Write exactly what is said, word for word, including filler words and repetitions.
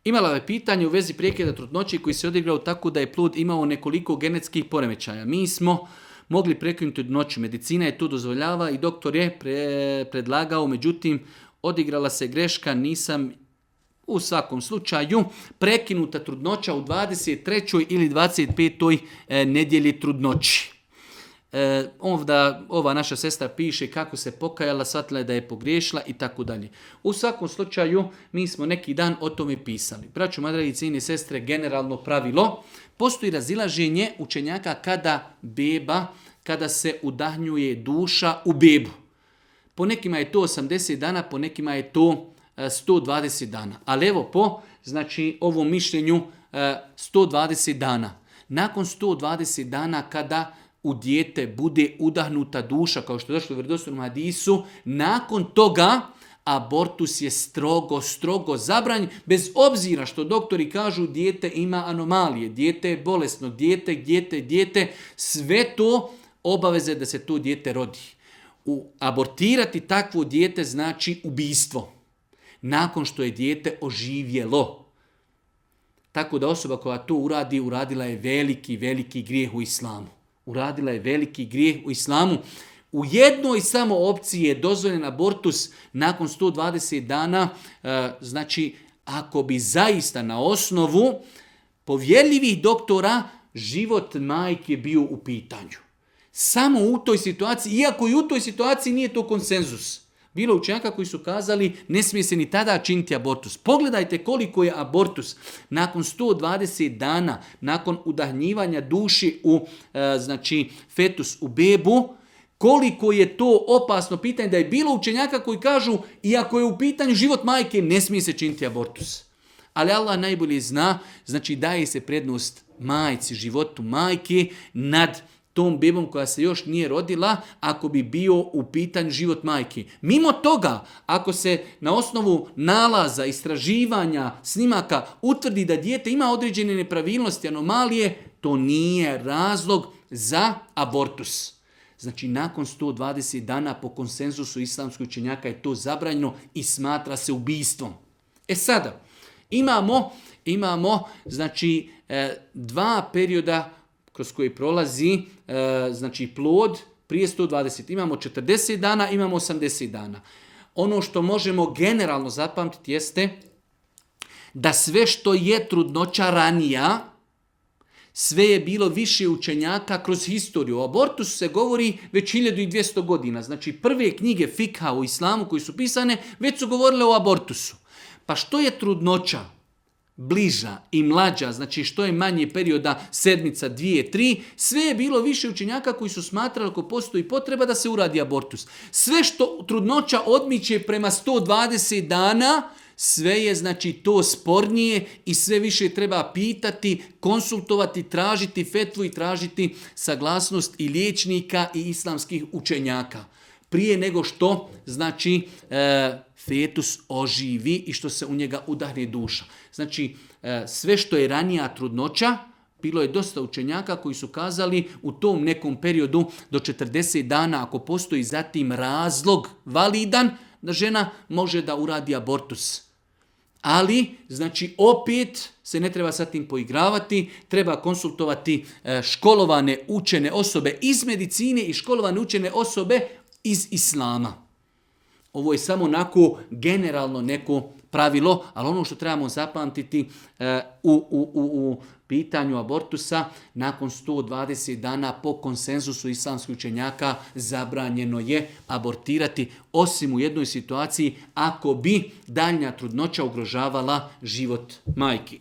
Imala je pitanje u vezi prekida trudnoće koji se odigrao tako da je plod imao nekoliko genetskih poremećaja. Mi smo mogli prekinuti trudnoću. Medicina je to dozvoljava i doktor je pre, predlagao, međutim, odigrala se greška, nisam u svakom slučaju prekinuta trudnoća u dvadeset trećoj ili dvadeset petoj E, nedjelji trudnoći. E, ovdje ova naša sestra piše kako se pokajala, shvatila je da je pogriješila i tako dalje. U svakom slučaju mi smo neki dan o tome pisali. Braćo, moje dragi cijene sestre, generalno pravilo, postoji razilaženje učenjaka kada beba, kada se udahnjuje duša u bebu. Po nekima je to osamdeset dana, po nekima je to sto dvadeset dana. Ali evo po znači, ovom mišljenju sto dvadeset dana. Nakon sto dvadeset dana kada u dijete bude udahnuta duša, kao što je došlo u vjerodostojnom hadisu, nakon toga abortus je strogo, strogo zabranjen, bez obzira što doktori kažu dijete ima anomalije, dijete je bolesno, dijete, dijete, dijete, sve to obaveze da se to dijete rodi. U, abortirati takvo dijete znači ubijstvo. Nakon što je dijete oživjelo. Tako da osoba koja to uradi, uradila je veliki, veliki grijeh u islamu. Uradila je veliki grijeh u islamu. U jednoj samo opciji je dozvoljen abortus nakon sto dvadeset dana, e, znači ako bi zaista na osnovu povjerljivih doktora život majke bio u pitanju. Samo u toj situaciji, iako i u toj situaciji nije to konsenzus. Bilo učenjaka koji su kazali ne smije se ni tada činiti abortus. Pogledajte koliko je abortus nakon sto dvadeset dana, nakon udahnjivanja duši u e, znači fetus u bebu, koliko je to opasno pitanje da je bilo učenjaka koji kažu iako je u pitanju život majke ne smije se činiti abortus. Ali Allah najbolje zna, znači daje se prednost majci, životu majke nad tom bebom koja se još nije rodila, ako bi bio u pitanju život majke. Mimo toga, ako se na osnovu nalaza, istraživanja, snimaka utvrdi da dijete ima određene nepravilnosti, anomalije, to nije razlog za abortus. Znači, nakon sto dvadeset dana po konsenzusu islamskih učenjaka je to zabranjeno i smatra se ubijstvom. E sada, imamo, imamo znači, dva perioda kroz koji prolazi e, znači plod prije sto dvadeset. Imamo četrdeset dana, imamo osamdeset dana. Ono što možemo generalno zapamtiti jeste da sve što je trudnoća ranija, sve je bilo više učenjaka kroz historiju. O abortusu se govori već hiljadu dvjesto godina. Znači prve knjige fikha u islamu koji su pisane već su govorile o abortusu. Pa što je trudnoća bliža i mlađa, znači što je manje perioda, sedmica, dvije, tri, sve je bilo više učenjaka koji su smatrali ako postoji potreba da se uradi abortus. Sve što trudnoća odmiče prema sto dvadeset dana, sve je znači to spornije i sve više treba pitati, konsultovati, tražiti fetvu i tražiti saglasnost i liječnika i islamskih učenjaka. Prije nego što znači e, fetus oživi i što se u njega udahne duša. Znači e, sve što je ranija trudnoća, bilo je dosta učenjaka koji su kazali u tom nekom periodu do četrdeset dana ako postoji zatim razlog validan da žena može da uradi abortus. Ali, znači, opet se ne treba sa tim poigravati, treba konsultovati e, školovane učene osobe iz medicine i školovane učene osobe iz islama. Ovo je samo onako generalno neko pravilo, ali ono što trebamo zapamtiti e, u, u, u, u pitanju abortusa, nakon sto dvadeset dana po konsenzusu islamskih učenjaka zabranjeno je abortirati, osim u jednoj situaciji ako bi daljnja trudnoća ugrožavala život majki.